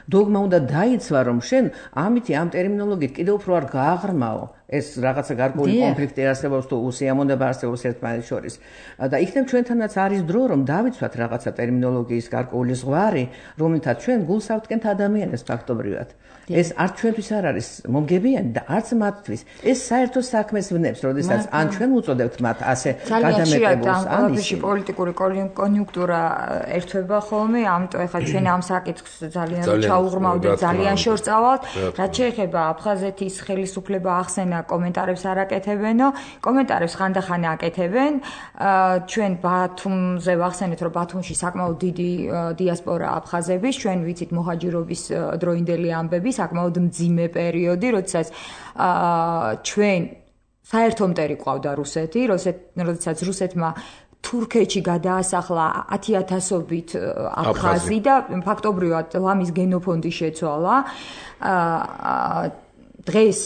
დოგმა უნდა დაიცვა, რომ შენ ამითი ამ ტერმინოლოგიით კიდევ უფრო არ გააღრმაო. ეს რაღაცა გარკვეული კონფლიქტი არსებობს თუ უსიამოვნება არსებობს ერთმანეთს შორის. და იქნებ ჩვენთანაც არის დრო, რომ დავიცვათ რაღაცა ტერმინოლოგიის გარკვეული ზღვარი, რომელთაც ჩვენ გულს ავდგენთ ადამიანებს ფაქტობრივად. ეს არც ჩვენთვის არ არის მომგებიანი და არც მათთვის. ეს საერთო საქმეს ვნებს, როდესაც ან ჩვენ უწოდებთ მათ ასე გადამეტებულს, ან ისე პოლიტიკური კონიუნქტურა ერთვება ხოლმე, ამიტომ ეხლა ჩვენ ამ საკითხს ძალიან ჩაუღრმავდით, ძალიან შორს წავალთ. რაც შეეხება აფხაზეთის ხელისუფლება ახსენა კომენტარებს არ აკეთებენო, კომენტარებს ხანდახან აკეთებენ. ჩვენ ბათუმზე ვახსენეთ, რომ ბათუმში საკმაოდ დიდი დიასპორა აფხაზების, ჩვენ ვიცით მოჰაჯირობის დროინდელი ამბები, საკმაოდ მძიმე პერიოდი, როდესაც ჩვენ საერთო მტერი ყავდა რუსეთი, როდესაც რუსეთმა თურქეთში გადაასახლა ათიათასობით აფხაზი და ფაქტობრივად ლამის გენოფონდი შეცვალა. დღეს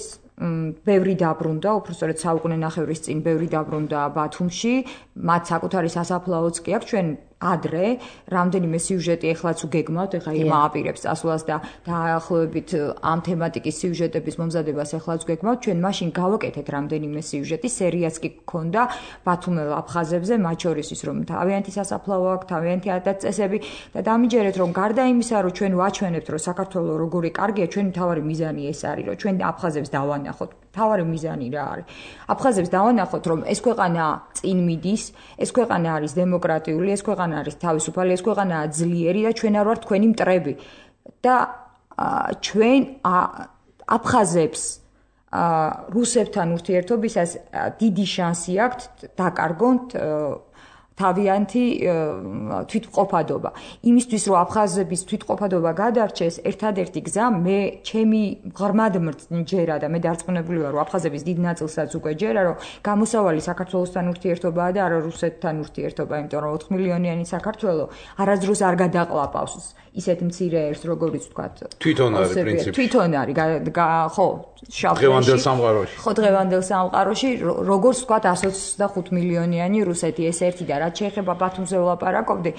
ბევრი დაბრუნდა, უბრალოდ საუკუნე ნახევრის წინ ბევრი დაბრუნდა ბათუმში, მათ საკუთარი სასაფლაოც კი აქვს. ჩვენ ადრე რამდენიმე სიუჟეტი ეხლაც უგეგმავთ, ეხლა ირმა აპირებს წასვლას და დაახლოებით ამ თემატიკის სიუჟეტების მომზადებას ეხლაც უგეგმავთ. ჩვენ მაშინ გავაკეთეთ რამდენიმე სიუჟეტი, სერიაც კი გქონდა ბათუმელ აფხაზებზე, მათ შორის ის რომ თავიანთი სასაფლაო აქვს, თავიანთი ადათ-წესები და დამიჯერეთ რომ გარდა იმისა, რომ ჩვენ ვაჩვენებთ, რომ საქართველო როგორი კარგია, ჩვენი მთავარი მიზანი ეს არის, რომ ჩვენ აფხაზებს დავანახოთ. მთავარი მიზანი რა არის? აფხაზებს დავანახოთ, რომ ეს ქვეყანა წინ მიდის, ეს ქვეყანა არის დემოკრატიული, ეს ქვეყანა არის თავისუფალი, ეს ქვეყანაა ძლიერი და ჩვენ არ ვართ თქვენი მტრები. და ჩვენ აფხაზებს რუსებთან ურთიერთობისას დიდი შანსი აქვთ დაკარგოთ თავიანთი თვითმყოფადობა. იმისთვის რომ აფხაზების თვითმყოფადობა გადარჩეს, ერთადერთი გზა მე ჩემი ღრმად მჯერა და მე დარწმუნებული ვარ, რომ აფხაზების დიდ ნაწილსაც უკვე ჯერა, რომ გამოსავალი საქართველოსთან ურთიერთობაა და არა რუსეთთან ურთიერთობა, იმიტომ რომ ოთხ მილიონიანი საქართველო არასდროს არ გადაყლაპავს ისეთ მცირე ერს, როგორიც ვთქვათ. თვითონ არის პრინციპი. თვითონ არის, ხო, დღევანდელ სამყაროში. ხო, დღევანდელ სამყაროში, როგორც ვთქვათ, εκατს ოცდახუთ მილიონიანი რუსეთი ეს ერთი და რაც შეეხება ბათუმზე ვლაპარაკობდი,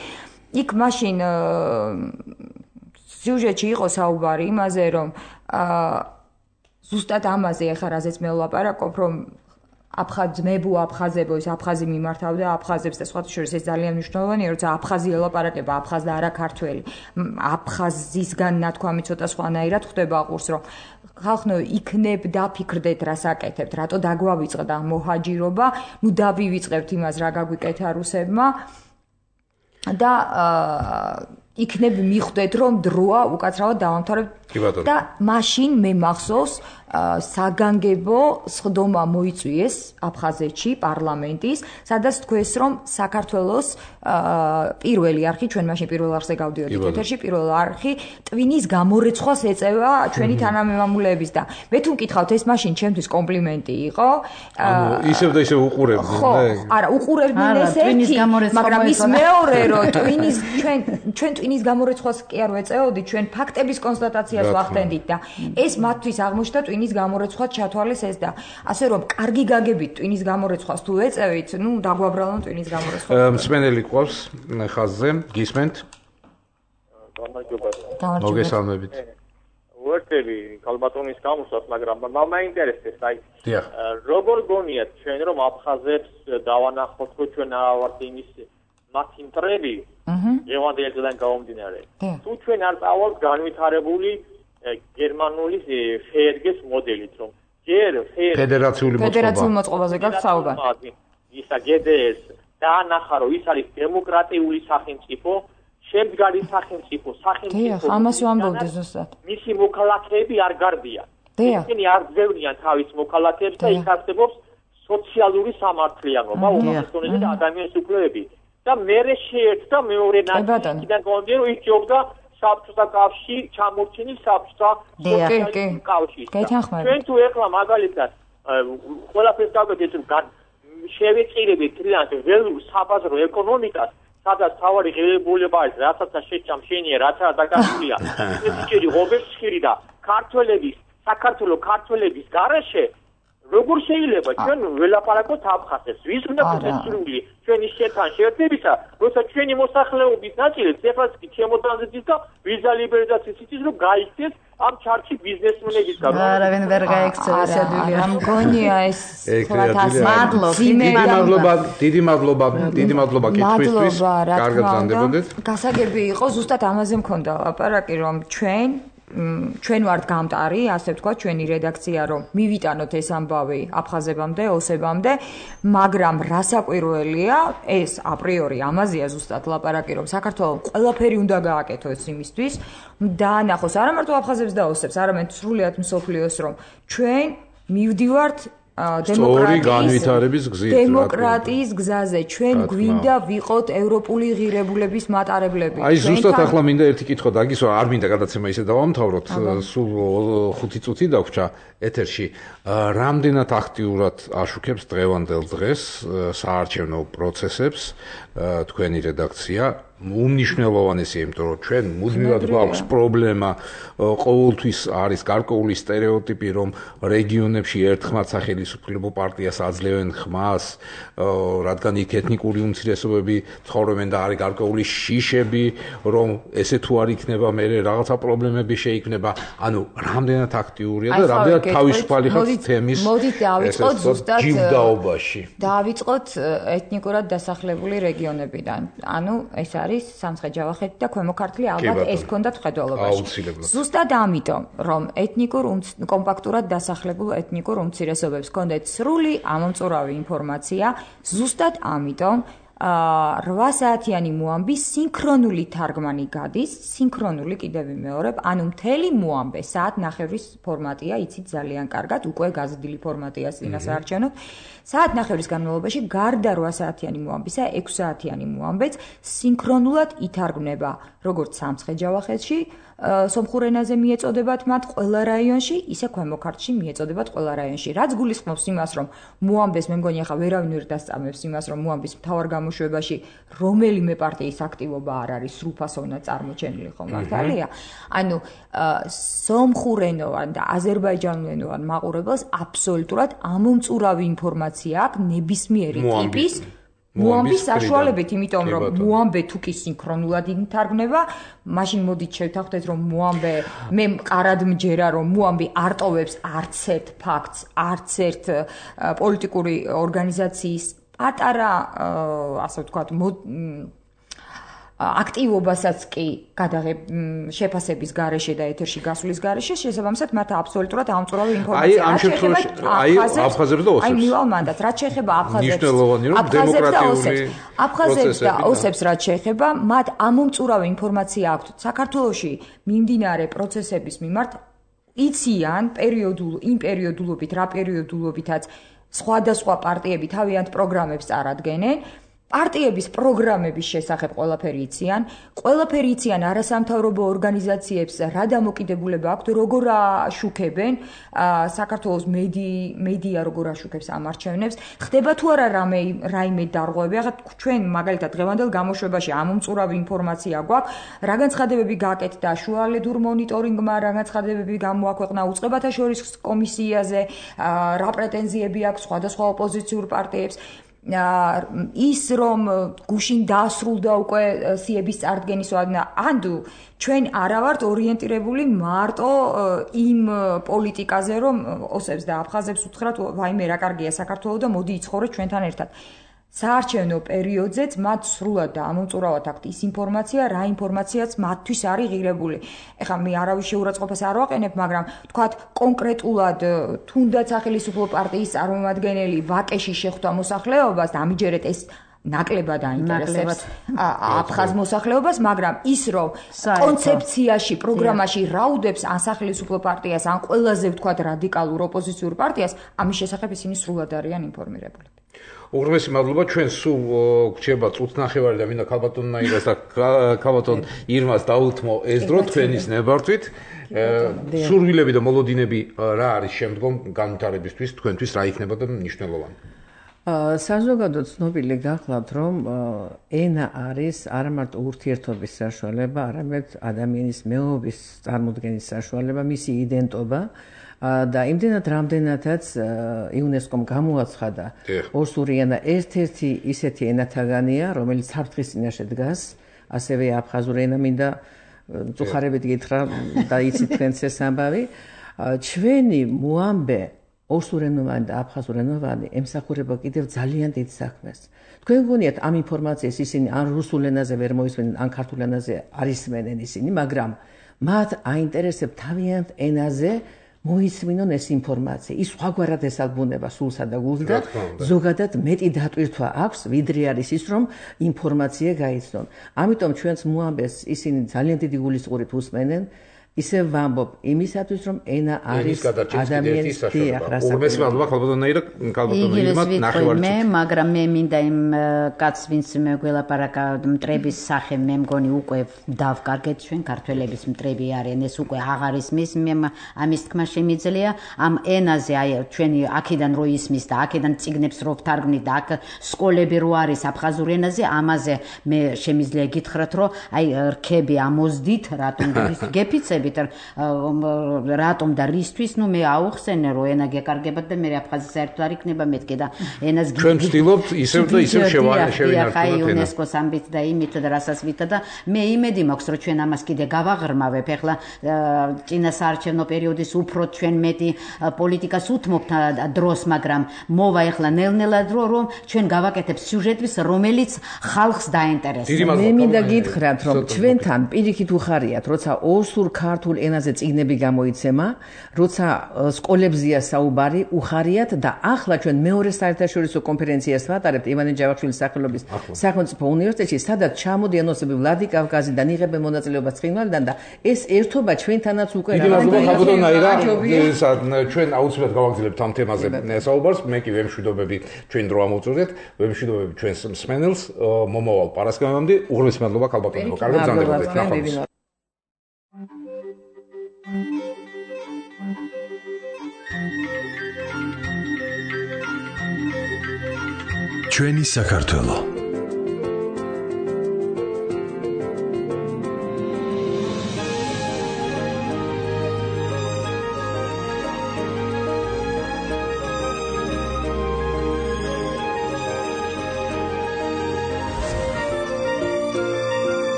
იქ მაშინ სიუჟეტში იყო საუბარი იმაზე, რომ ზუსტად ამაზე ახლა რაზეც მე ვლაპარაკობ, რომ აფხაზ მებუ აფხაზებო ის აფხაზი მიმართავდა აფხაზებს და სხვათა შორის ეს ძალიან მნიშვნელოვანია, როცა აფხაზი ელაპარაკება აფხაზ და არა ქართველი. აფხაზისგან ნათქვამი ცოტა სხვანაირად ხდება ყურს, რომ ხალხო იქნებ დაფიქრდეთ რას აკეთებთ, რატო დაგვავიწყდა მოჰაჯირობა, ნუ დავივიწყებთ იმას რა გაგვიკეთა რუსებმა და იქნებ მიხვდეთ რომ დროა უკაცრავად დავამთავრებთ და მაშინ მე მახსოვს საგანგებო სხდომა მოიწვიეს აფხაზეთში პარლამენტის, სადაც თქვეს რომ საქართველოს პირველი არხი, ჩვენ მაშინ პირველ არხზე გავდიოდით ეთერში, პირველ არხი ტვინის გამორეცხვას ეწევა ჩვენი თანამემამულეების და მე თუ მკითხავთ ეს მაშინ ჩემთვის კომპლიმენტი იყო. ანუ ისევ და ისევ უყურებდნენ, ხო, არა, უყურებდნენ ეს ერთი, მაგრამ ის მეორე რომ ტვინის ჩვენ ჩვენ ტვინის გამორეცხვას კი არ ვეწეოდით, ჩვენ ფაქტების კონსტატაციას ვახდენდით და ეს მათთვის აღმოჩნდა ტვინის გამორეცხვას ჩათვალეს ეს და ასე რომ კარგი გაგებით ტვინის გამორეცხვას თუ ეწევით, ნუ დაგვაბრალონ ტვინის გამორეცხვას. მსმენელი ყავს ხაზზე, გისმენთ? მოგესალმებით. უერთელი ქალბატონის გამოსვას, მაგრამ მაინტერესებს, აი როგორ გონიათ ჩვენ რომ აფხაზებს დავანახოთ, რომ ჩვენ არ ვართ იმის მათი მტრები, ევანდელ დღიდან გამომდინარე. თუ ჩვენ არ წავალთ განვითარებული გერმანული ფერგეს მოდელით, რომ ჯერ ფედერაციული მოწყობა ფედერაციული მოწყობაზე გაქვს საუბარი. ისა გედეს დაანახა, რომ ის არის დემოკრატიული სახელმწიფო, შემდგარი სახელმწიფო, სახელმწიფო. დიახ, ამას ვამბობდი ზუსტად. მისი მოქალაქეები არ გარბიან. ისინი არ ძევნიან თავის მოქალაქეებს და იქ არსებობს სოციალური სამართლიანობა, უმეტესობრივ და ადამიანის უფლებები. და მერე შეერთდა მეორე ნაწილიდან გონდირო ის ჯობდა საბჭოთა კავშირი ჩამორჩენის საბჭოთა კავშირში. ჩვენ თუ ეხლა მაგალითად ყველაფერს გავაკეთეთ რომ შევეწირებით თლიანად ველურ საბაზრო ეკონომიკას, სადაც თავარი ღირებულება არის, რასაც შეჭამ შენია, რაც არ დაკარგულია. ეს ისეთი ღობესშირი და ქართველების, საქართველოს ქართველების გარეშე როგორ შეიძლება ჩვენ ველაპარაკოთ აფხაზებს? ვის უნდა გესურვილი ჩვენი შეთან შეერთებისა, როცა ჩვენი მოსახლეობის ნაწილიც ეხლაც კი შემოტრანზიტის და ვიზა ლიბერალიზაციის იწის რომ გაიქცეს ამ ჩარტში ბიზნესმენების გამო. არავინ ვერ გაიქცევა სადვილია. მგონია ეს ხლათას მადლობა, დიდი მადლობა, დიდი მადლობა, დიდი მადლობა კითხვისთვის. კარგად გრძანდებოდეთ. გასაგები იყო, ზუსტად ამაზე მქონდა ლაპარაკი, რომ ჩვენ ჩვენ ვართ გამტარი, ასე ვთქვა, ჩვენი რედაქცია, რომ მივიტანოთ ეს ამბავი აფხაზებამდე, ოსებამდე, მაგრამ რასაკვირველია, ეს აპრიორი ამაზეა ზუსტად ლაპარაკი, რომ საქართველოს ყველაფერი უნდა გააკეთოს იმისთვის, დაანახოს არა მარტო აფხაზებს და ოსებს, არამედ სრულიად მსოფლიოს, რომ ჩვენ მივდივართ დემოკრატიის გზაზე. ჩვენ გვინდა ვიყოთ ევროპული ღირებულების მატარებლები. აი ზუსტად ახლა მინდა ერთი კითხვა დაგისვა, არ მინდა გადაცემა ისე დავამთავროთ, სულ ხუთი წუთი დაგვრჩა ეთერში. რამდენად აქტიურად აშუქებს დღევანდელ დღეს საარჩევნო პროცესებს თქვენი რედაქცია? უმნიშვნელოვანესია, იმიტომ რომ ჩვენ მუდმივად გვაქვს პრობლემა, ყოველთვის არის გარკვეული სტერეოტიპი, რომ რეგიონებში ერთხმად სახელმწიფო პარტიას აძლევენ ხმას, რადგან იქ ეთნიკური უმცირესობები ცხოვრობენ და არის გარკვეული შიშები, რომ ესე თუ არ იქნება, მე რაღაცა პრობლემები შეიქმნება. ანუ რამდენად აქტიურია და რამდენად თავისუფალი ხარ თემის ჯილდაობაში. დავიწყოთ ეთნიკურად დასახლებული რეგიონებიდან. ანუ ეს არის სამცხე-ჯავახეთი და ქვემო ქართლი, ალბათ ეს ქონდათ ხედველობაში. ზუსტად ამიტომ, რომ ეთნიკურ კომპაქტურად დასახლებულ ეთნიკურ უმცირესობებს ქონდეთ სრული ამომწურავი ინფორმაცია, ზუსტად ამიტომ რვა საათიანი მოამბი სინქრონული თარგმანი გადის, სინქრონული კიდევ ვიმეორებ, ანუ მთელი მოამბე საათნახევრის ფორმატია, იცით ძალიან კარგად, უკვე გაზრდილი ფორმატია წინასაარჩევნო. საათნახევრის განმავლობაში გარდა რვა საათიანი მოამბისა, ექვსი საათიანი მოამბეც სინქრონულად ითარგმნება, როგორც სამცხე-ჯავახეთში, სომხურ ენაზე მიეწოდებათ მათ ყველა რაიონში, ისე ქვემო ქართლში მიეწოდებათ ყველა რაიონში. რაც გულისხმობს იმას, რომ მოამბეს, მე მგონი ახლა ვერავინ ვერ დასწამებს იმას, რომ მოამბის მთავარ გამოშვებაში რომელიმე პარტიის აქტივობა არ არის სრულფასოვნად წარმოჩენილი, ხო მართალია? ანუ სომხურენოვან და აზერბაიჯანულენოვან მაყურებელს აბსოლუტურად ამომწურავი ინფორმაცია აქვს ნებისმიერი ტიპის მოამბის საშუალებით, იმიტომ რომ მოამბე თუ კი სინქრონულად ითარგმნება, მაშინ მოდით შევთანხმდეთ, რომ მოამბე მე მყარად მჯერა, რომ მოამბე არ ტოვებს არც ერთ ფაქტს, არც ერთ პოლიტიკური ორგანიზაციის პატარა, ასე ვთქვათ, აქტივობასაც კი გადაღებ შეფასების გარეშე და ეთერში გასulis გარეშე, შესაბამისად მათ აბსოლუტურად ამწურავი ინფორმაცია. აი ამ შემთხვევაში აი აფხაზებს და ოსებს. აი მივალ მანდატ, რაც შეეხება აფხაზებს. ნიშნულოვანი რომ დემოკრატიული აფხაზებს და ოსებს რაც შეეხება, მათ ამომწურავი ინფორმაცია აქვთ საქართველოში მიმდინარე პროცესების მიმართ, იციან პერიოდულ იმ პერიოდულობით, რა პერიოდულობითაც სხვადასხვა პარტიები თავიანთ პროგრამებს წარადგენენ. პარტიების პროგრამების შესახებ ყველაფერი იციან, ყველაფერი იციან არასამთავრობო ორგანიზაციებს რა დამოკიდებულება აქვთ, როგორ აშუქებენ საქართველოს მედია როგორ აშუქებს ამ არჩევნებს, ხდება თუ არა რამე რაიმე დარღვევები, ახლა ჩვენ მაგალითად დღევანდელ გამოშვებაში ამომწურავი ინფორმაცია გვაქვს, რა განცხადებები გააკეთდა შუალედურ მონიტორინგმა, რა განცხადებები გამოაქვეყნა უწყებათა შორის კომისიაზე, რა პრეტენზიები აქვს სხვადასხვა ოპოზიციურ პარტიებს. ის რომ გუშინ დაასრულდა უკვე სიების წარდგენის ვადნა, ანუ ჩვენ არა ვართ ორიენტირებული მარტო იმ პოლიტიკაზე, რომ ოსებს და აფხაზებს უთხრათ, ვაიმე რა კარგია საქართველო და მოდი იცხოვრეთ ჩვენთან ერთად. საარჩევნო პერიოდზეც მათ სრულად და ამომწურავად აქვთ ის ინფორმაცია, რა ინფორმაციაც მათთვის არის ღირებული. ეხლა მე არავის შეურაცხყოფას არ ვაყენებ, მაგრამ თქვათ კონკრეტულად თუნდაც სახელმწიფო პარტიის წარმომადგენელი ვაკეში შეხვდა მოსახლეობას და ამიჯერეთ ეს ნაკლებად აინტერესებს აფხაზ მოსახლეობას, მაგრამ ის რომ კონცეფციაში, პროგრამაში რაუდებს ან სახელმწიფო პარტიას, ან ყველაზე ვთქვათ რადიკალურ ოპოზიციურ პარტიას, ამის შესახებ ისინი სრულად არიან ინფორმირებული. უღრმესი მადლობა, ჩვენ სულ გრჩება წუთნახევარი და მინდა ქალბატონ ნაირას და ქალბატონ ირმას დაუთმო ეს დრო თქვენის ნებართვით. სურვილები და მოლოდინები რა არის შემდგომ განვითარებისთვის, თქვენთვის რა იქნება და მნიშვნელოვანი? საზოგადოდ ცნობილი გახლავთ, რომ ენა არის არა მარტო ურთიერთობის საშუალება, არამედ ადამიანის მეობის წარმოდგენის საშუალება, მისი იდენტობა. და იმდენად რამდენადაც იუნესკომ გამოაცხადა ოსური ენა ერთ-ერთი ისეთი ენათაგანია, რომელიც საფრთხის წინაშე დგას, ასევე აფხაზური ენა მინდა წუხარებით გითხრა და იცით თქვენც ეს ამბავი. ჩვენი მოამბე ოსურენოვანი და აფხაზურენოვანი ემსახურება კიდევ ძალიან დიდ საქმეს. თქვენ გონიათ ამ ინფორმაციას ისინი ან რუსულ ენაზე ვერ მოისმენენ, ან ქართულ ენაზე არ ისმენენ ისინი, მაგრამ მათ აინტერესებს თავიანთ ენაზე მოისმინონ ეს ინფორმაცია. ის სხვაგვარად ესალბუნება სულსა და გულს და ზოგადად მეტი დატვირთვა აქვს, ვიდრე არის ის, რომ ინფორმაცია გაიცნონ. ამიტომ ჩვენს მოამბეს ისინი ძალიან დიდი გულისწყურით უსმენენ ისე ვამბობ იმისათვის რომ ენა არის ადამიანის დიახ რასაკუთრებით მადლობა ქალბატონაირა ქალბატონაირა ნახევარი მე მაგრამ მე მინდა იმ კაცს ვინც მე გველაპარაკა მტრების სახე მე მგონი უკვე დავკარგეთ ჩვენ ქართველების მტრები არიან ეს უკვე აღარ ისმის მე ამის თქმა შემიძლია ამ ენაზე აი ჩვენი აქედან რო ისმის და აქედან წიგნებს რო ვთარგმნით და აქ სკოლები რო არის აფხაზურ ენაზე ამაზე მე შემიძლია გითხრათ რომ აი რქები ამოზდით რატომ გეფიცებით რატომ და რისთვის ნუ მე აუხსენე რომ ენა გეკარგებათ და მე აფხაზი საერთოდ არ იქნება მეთქე და ენას ჩვენ ვცდილობთ ისევ და ისევ შევინარჩუნოთ აი იუნესკოს ამბით და იმით და რასაც ვითა და მე იმედი მაქვს რომ ჩვენ ამას კიდე გავაღრმავებ ეხლა წინა საარჩევნო პერიოდის უფრო ჩვენ მეტი პოლიტიკას უთმობთ დროს მაგრამ მოვა ეხლა ნელ-ნელა დრო რომ ჩვენ გავაკეთებ სიუჟეტის რომელიც ხალხს დაინტერესებს მე მინდა გითხრათ რომ ჩვენთან პირიქით უხარიათ როცა ოსურ ქართულ ენაზე წიგნები გამოიცემა როცა სკოლებზეა საუბარი უხარიათ და ახლა ჩვენ მეორე საერთაშორისო კონფერენციას ვატარებთ ივანე ჯავახიშვილის სახელობის სახელმწიფო უნივერსიტეტში სადაც ჩამოდიან ოსები ვლადი კავკაზიდან იღებენ მონაწილეობას ცხინვალიდან და ეს ერთობა ჩვენთანაც უკვე ჩვენ აუცილებლად გავაგზავნებთ ამ თემაზე საუბარს მე კი ვემშვიდობები ჩვენ დრო ამოვწურდეთ ვემშვიდობები ჩვენს მსმენელს მომავალ პარასკევამდე უღრმესი მადლობა ქალბატონო კარგად გრძანდებოდეთ ნახვამდის ჩვენი საქართველო